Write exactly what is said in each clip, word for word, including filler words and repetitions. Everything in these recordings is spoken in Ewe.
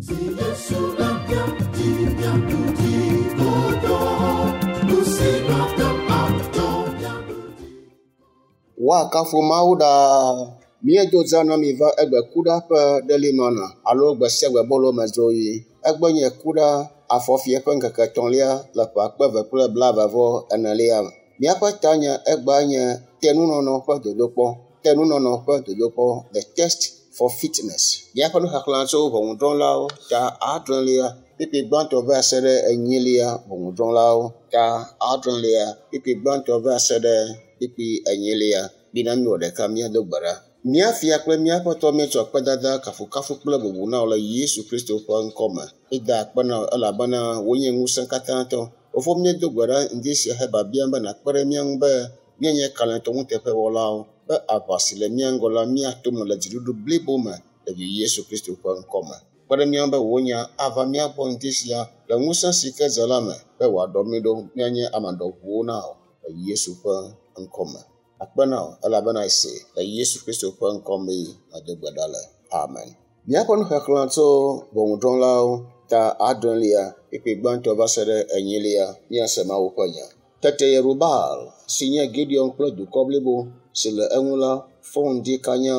Si Yesu le mía dzi míaɖu dzi godoo, nu si mate ŋu atsɔ míaɖu dzi. Woakafu Mawu ɖaa. Míedo dza na mi va egbe kuɖa ƒe ɖelimana alo gbe sia gbe bolo me dzoɣi. Egbe nye kuɖa afɔfie ƒe ŋkeke etɔ̃lia le ƒe akpe eve kple blaeve vɔ enelia me. Míaƒe tanya egbea nye tenunɔnɔ ƒe dodokpɔ. Tenunɔnɔ ƒe dodokpɔ the test for fitness. Míaƒe nuxexlẽ tso ʋɔnudrɔ̃lawo ta adrelia kpukpui gbãtɔ va se ɖe enyilia ʋɔnudrɔ̃lawo ta adrelia kpukpui gbãtɔ va se ɖe kpukpui enyilia. Mina míwɔ ɖeka míado gbe ɖa. Mía fia kple mía Aƒetɔ míetsɔ akpedada, kafukafu kple bubu na wò le Yesu Kristo ƒe ŋkɔ me. Míeda akpe na wò elabena wònye ŋusẽ katãtɔ. Fofo míedo gbe ɖa ŋdi sia he biabiam be nàkpe ɖe mía ŋu be míanye kalẽtɔ nuteƒewɔlawo be aʋa si le mía ŋgɔ la míato me le dziɖuɖu blibo me le vi Yesu Kristo ƒe ŋkɔ me. Kpe ɖe mía ŋu be wò nya ava mía gbɔ ŋdi sia le ŋusẽ si ke dze la me be wòaɖɔ mí ɖo míanye ame ɖɔʋuwo na wò le Yesu ƒe ŋkɔ me. Akpe na wò elabena ese le Yesu Kristo ƒe ŋkɔ mee medo gbe ɖa le. Amen. Míaƒe nuxexlẽ tso ʋɔnudrɔ̃lawo ta adrelia kpukpui gbãtɔ va se ɖe enyilia míase Mawu ƒe nya. Tete Yerubaal si nye Gideon kple dukɔ blibo si le eŋu la fɔ ŋdi kanya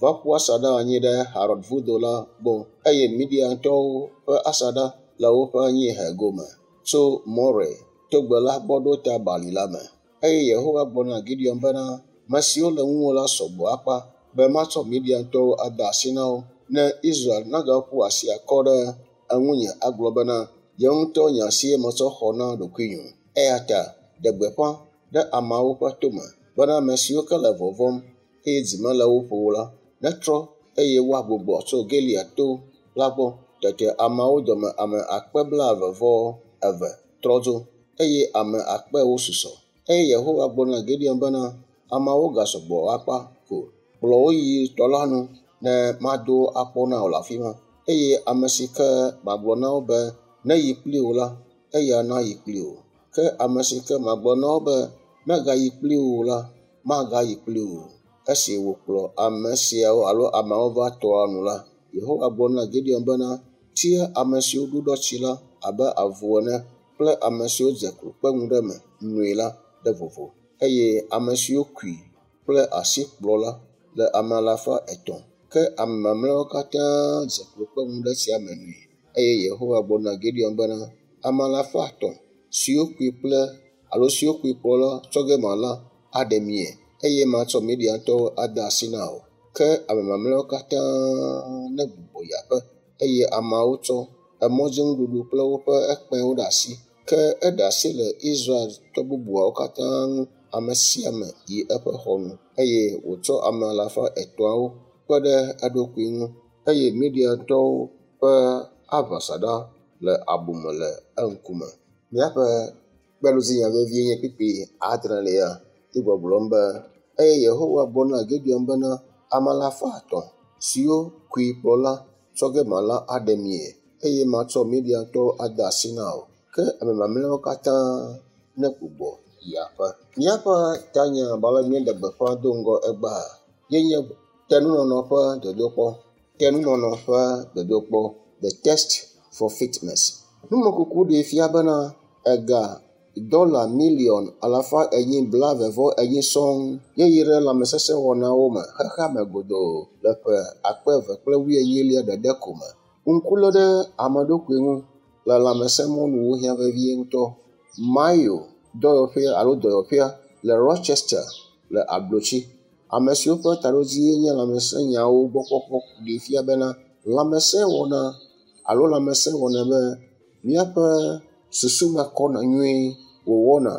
va ƒu asaɖa anyi ɖe Harod vudo la gbɔ eye Midiantɔwo ƒe asaɖa le woƒe anyiehe gome tso More togbe la gbɔ ɖo ta bali la me. Eye Yehowa gblɔ na Gideon bena, ame siwo le ŋuwò la sɔgbɔ akpa be matsɔ Midiantɔwo ade asi na wo ne Israel nagaƒu asi akɔ ɖe eŋunye agblɔ bena, nye ŋutɔ nye asie metsɔ xɔ na ɖokuinye o. Eya ta ɖe gbeƒã ɖe ameawo ƒe tome bena ame siwo ke le vɔvɔ̃m eye dzi mele wo ƒo o la netrɔ eye woagbugbɔ tso Gilead to la gbɔ. Tete ameawo dome ame akpe blaeve vɔ eve trɔ dzo eye ame akpe ewo susɔ. Eye Yehowa gblɔ na Gideon bena, ameawo gasɔgbɔ akpa ko. Kplɔ wo yi tɔ la nu ne mado akpɔ na wò le afi ma. Eye ame si ke magblɔ na wo be neyi kpli wò la, eya nayi kpli wò. Ke ame si ke magblɔ na wo be megayi kpli wò o la, magayi kpli wò o. Esi wòkplɔ ame siawo alo ameawo va tɔa nu la, Yehowa gblɔ na Gideon bena, tia ame siwo ɖuɖɔ tsi la abe avu ene kple ame siwo dze klo kpe ŋu ɖe eme noe la ɖe vovo eye ame siwo kui kple asi kplɔ la le ame alafa etɔ̃. Ke ame mamlɛawo katã dze klo kpe ŋu ɖe tsia me noe. Eye Yehowa gblɔ na Gideon bena, ame alafa etɔ̃ siwo kui kple alo siwo kui kplɔ la tsɔ ge mala aɖe mie eye matsɔ Midiantɔwo ade asi na wò. Ke ame mamlɛawo katã negbugbɔ yi aƒe eye ameawo tsɔ emɔdzinuɖuɖu kple woƒe ekpẽwo ɖe asi. Ke eɖe asi le Israeltɔ bubuawo katã ŋu ame sia ame yi eƒe xɔ nu eye wòtsɔ ame alafa etɔ̃awo kpe ɖe eɖokui ŋu eye Midiantɔwo ƒe aʋasaɖa le abume le eŋkume. Míaƒe kpeɖodzinya vevie nye kpukpui adrelia yi gbɔgblɔm be eye Yehowa gblɔ na Gideon bena ame alafa etɔ̃ siwo kui kplɔ la tsɔ ge mala aɖe mie eye matsɔ Midiantɔwo ade asi na wò. Ke ame mamlɛawo katã negbugbɔ yi aƒe. Míaƒe tanya abe ale míeɖe gbeƒã do ŋgɔ egbea ye nye tenunɔnɔ ƒe dodokpɔ. Tenunɔnɔ ƒe dodokpɔ the test for fitness. Numekuku ɖee fia bena ega dɔla miliɔn alafa enyi blaeve vɔ enyi sɔŋ ye yi ɖe lãmesesẽwɔnawo me xexea me godoo le ƒe akpe eve kple wuienyilia ɖeɖe ko me. Ŋku lé ɖe ame ɖokui ŋu le lãmesẽmɔnuwo hiã vevie ŋutɔ. Mayo dɔyɔƒea alo dɔyɔƒea le Rochester le ablotsi. Ame siwo ƒe taɖodzie nye lãmesẽnyawo gbɔkpɔkpɔ ɖee fia bena lãmesẽ wɔna alo lãmesẽ wɔna be míaƒe susu me kɔna nyuie wòwɔna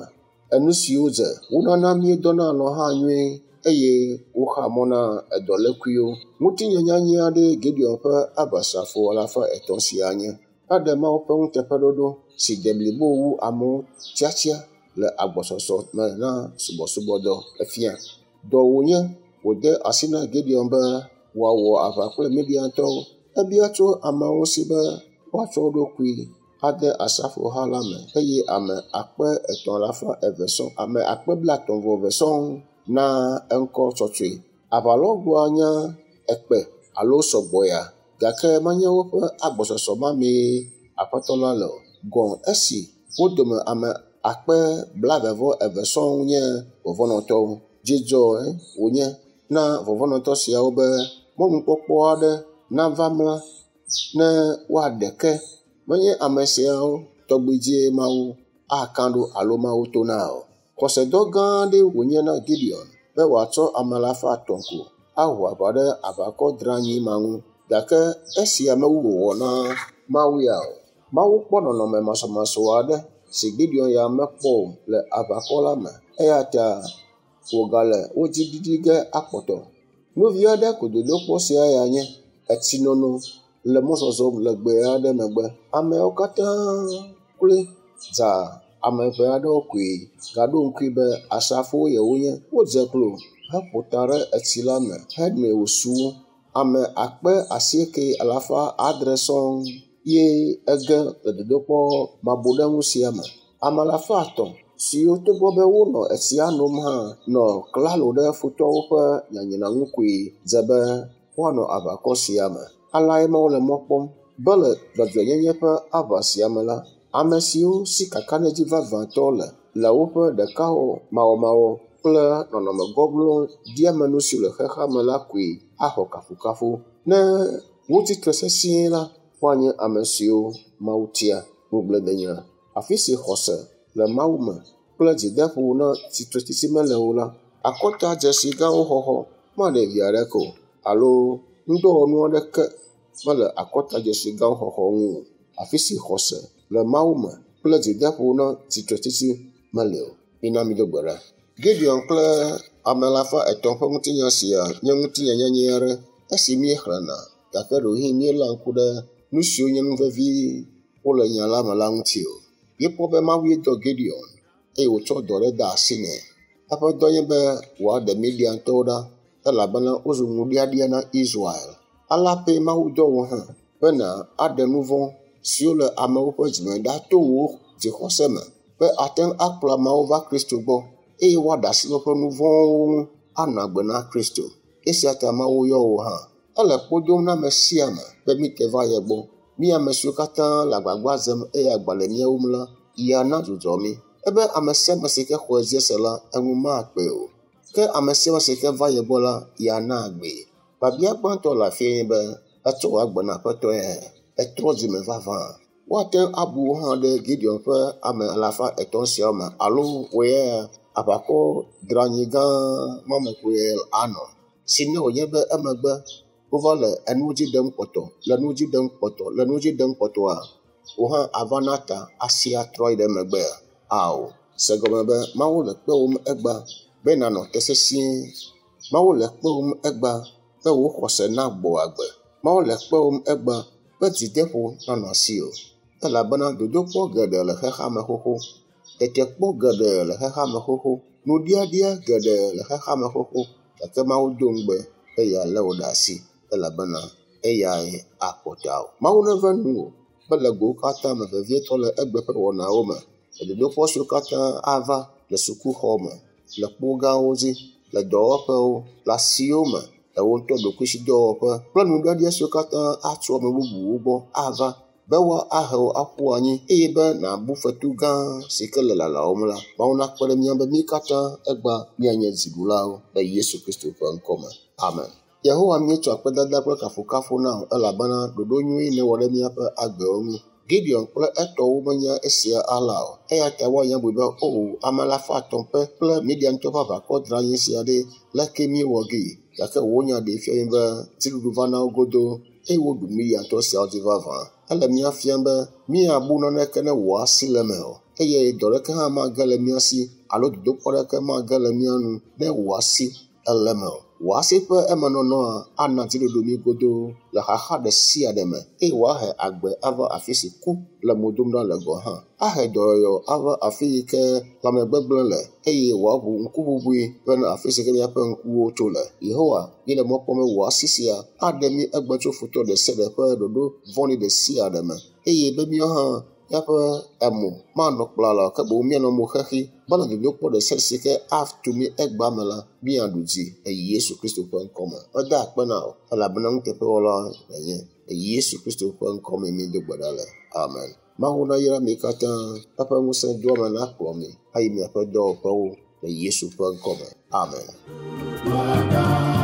enu siwo dze. Wonana míedɔna alɔ̃ hã nyuie eye woxea mɔ na edɔlékuiwo. Ŋutinya nyanyɛ aɖee Gideon ƒe aʋasrafo alafa etɔ̃ sia nye. Eɖe Mawu ƒe nuteƒeɖoɖo si de blibo wu amewo tiatia le agbɔsɔsɔ me na subɔsubɔdɔ efia. Dɔ wònye wòde asi na Gideon be wòawɔ aʋa kple Midiantɔwo. Ebia tso ameawo si be woatsɔ wo ɖokui ade asrafoha la me eye ame akpe etɔ̃ alafa eve sɔŋ ame akpe blaetɔ̃ vɔ eve sɔŋ na eŋkɔ tsɔtsɔe. Aʋalɔgboa nye ekpe alo sɔgbɔya Gake menye woƒe agbɔsɔsɔ ma mee Aƒetɔ la le o. Gɔ̃ esi wo dome ame akpe blaeve-vɔ-eve sɔŋ nye vɔvɔ̃nɔtɔwo. Dzidzɔe wònye na vɔvɔ̃nɔtɔ siawo be mɔnukpɔkpɔ aɖe nava mla ne woaɖe ke. Menye ame siawo tɔgbi dzie Mawu aka ɖo alo Mawu tona o. Xɔsedɔ gã aɖee wònye na Gideon be wòatsɔ ame alafa etɔ̃ ko aho aʋa ɖe aʋakɔ dranyi ma ŋu. Gake esia mewu wɔwɔ na Mawu ya o. Mawu kpɔ nɔnɔme masɔmasɔ aɖe si Gideon ya mekpɔ o le aʋakɔ la me eya ta wògale wo dzi ɖiɖi ge akpɔtɔ. Nu vi aɖe ko dodokpɔ sia ya nye etsinono le mɔzɔzɔ legbe aɖe megbe. Ameawo katã kloe dza ame eve aɖewo koe gaɖo ŋkui be asrafowo yewonye. Wodze klo heƒo ta ɖe etsi la me henoe wòsu wo. Ame akpe asieke alafa adre sɔŋ ye ege le dodokpɔ mabuɖeŋu sia me. Ame alafa etɔ̃ siwo togbɔ be wonɔ etsia nom hã nɔ klalo ɖe futɔwo ƒe nyanyra ŋu koe dze be woanɔ aʋakɔ sia me. Aleae Mawu le mɔ kpɔm be le dzɔdzɔenyenye ƒe aʋa sia me la, ame siwo si kakaɖedzi vavãtɔ le le woƒe ɖekawɔmawɔmawɔ kple nɔnɔme gɔglɔ̃ ɖiamenu si le xexea me la koe axɔ kafukafu. Ne wotsi tre sesĩe la, woanye ame siwo Mawu tia. Ŋugbledenya. Afi si xɔse le Mawu me kple dzideƒo na tsitretsitsi mele o la, akɔtadzesi gãwo xɔxɔ maɖe vi aɖeke o alo ŋudɔwɔnu aɖeke mele akɔtadzesi gãwo xɔxɔ ŋu o. Afi si xɔse le Mawu me kple dzideƒo na tsitretsitsi mele o. Mina mído gbe ɖa. Gideon kple ame alafa etɔ̃ ƒe ŋutinya sia nye ŋutinya nyanyɛ aɖe esi míexlẽna gake ɖewohĩ míeléa ŋku ɖe nu siwo nye nu vevi wole nya la me la ŋuti o. Míekpɔ be Mawue dɔ Gideon eye wòtsɔ dɔ ɖe de asi nɛ. Eƒe dɔ nye be wòaɖe Midiantɔwo ɖa elabena wozu ŋuɖiaɖia na Israel. Alea pɛ Mawu dɔ wò hã be nàaɖe nu vɔ̃ siwo le amewo ƒe dzime ɖa to wò dzixɔse me be ate ŋu akplɔ ameawo va Kristo gbɔ eye woaɖe asi le woƒe nu vɔ̃wo ŋu anɔ agbe na Kristo. Esia ta Mawu yɔ wò hã. Ele kpo dom na ame sia ame be míte va ye gbɔ. Mí ame siwo katã le agbagba dzem eye agba le mía wum la, yeana dzudzɔ mí. Ebe ame sia ame si ke xɔe dzi se la, eŋu makpee o. Ke ame sia ame si ke va ye gbɔ la, yeana agbee. Biabia gbãtɔ le afia nye be etsɔ wò agbe na Aƒetɔe, etrɔ dzime vavã. Woate ŋu abu wò hã ɖe Gideon ƒe ame alafa etɔ̃ siawo me alo wò ya aʋakɔ dranyi gã ma me koe anɔ. Si ne wònye be emegbe wova le enu dzi ɖem kpɔtɔ, le nu dzi ɖem kpɔtɔ, le nu dzi ɖem kpɔtɔa, wò hã ava na ta asi atrɔ yi ɖe megbea? Ao. Se gɔme be Mawu le kpewòm egbea be nànɔ te sesĩe. Mawu le kpewòm egbea be wò xɔse nagbɔ agbe. Mawu le kpewòm egbea be dzideƒo nanɔ asiwò elabena dodokpɔ geɖe le xexea me xoxo, tetekpɔ geɖe le xexea me xoxo, nuɖiaɖia geɖe le xexea me xoxo gake Mawu do ŋugbe be yealé wò ɖe asi elabena eyae akpɔ tawò. Mawu neve nuwò be le gowo katã me vevietɔ le egbe ƒe wɔnawo me, le dodokpɔ siwo katã ava le sukuxɔ me, le kpo gãwo dzi, le dɔwɔƒewo, le asiwo me, le wò ŋutɔ ɖokuisidɔwɔƒe kple nuɖiaɖia siwo katã atso ame bubuwo gbɔ ava be woahe wò aƒu anyi eye be nàbu fetu gã si ke le lalawòm la. Mawu nakpe ɖe mía ŋu be mí katã egbea míanye dziɖulawo le Yesu Kristo ƒe ŋkɔ me. Amen. Yehowa míetsɔ akpedada kple kafukafu na wò elabena ɖoɖo nyui nèwɔ ɖe míaƒe agbewo ŋu. Gideon kple etɔwo menya esia alea o eya ta woanya bui be o ame alafa etɔ̃ ƒe kple Midiantɔwo ƒe aʋakɔ dranyi sia ɖe leke míewɔ gee. Gake wò nya ɖee fia mí be dziɖuɖu va na wo godoo eye woɖu Midiantɔ siawo dzi vavã. Ele mía fiam be míabu naneke ne wò asi le eme o eye dɔ ɖeke hã mage le mía si alo dodokpɔ ɖeke mage le mía nu ne wò asi ele eme o. Wò asi ƒe emenɔnɔa ana dziɖuɖu mí godoo le xaxa ɖe sia ɖe me eye wòahe agbe ava afi si ku le mo dom ɖa le gɔ̃ hã. Ahe dɔyɔyɔ ava afi yi ke lãmegbegblẽ le eye wòaʋu ŋkuʋuʋui bena afi si ke míaƒe ŋkuwo tso le. Yehowa, míele mɔ kpɔm be wò asi sia aɖe mí egbe tso futɔ ɖe sia ɖe ƒe ɖoɖo vɔ̃ɖi ɖe sia ɖe me eye be míawo hã Míaƒe emo manɔ kplala o ke boŋ míanɔ mo xexi bena dodokpɔ ɖe sia ɖe si ke atu mí egbea me la, míaɖu dzi le Yesu Kristo ƒe ŋkɔme. Meda akpe na wò elabena nuteƒewɔla nènye. Le Yesu Kristo ƒe ŋkɔme míedo gbe ɖa le. Amen. Mawu nayra mi katã. Eƒe ŋusẽdoame nakplɔ mi ayi miaƒe dɔwɔƒewo le Yesu ƒe ŋkɔme. Amen. Wada.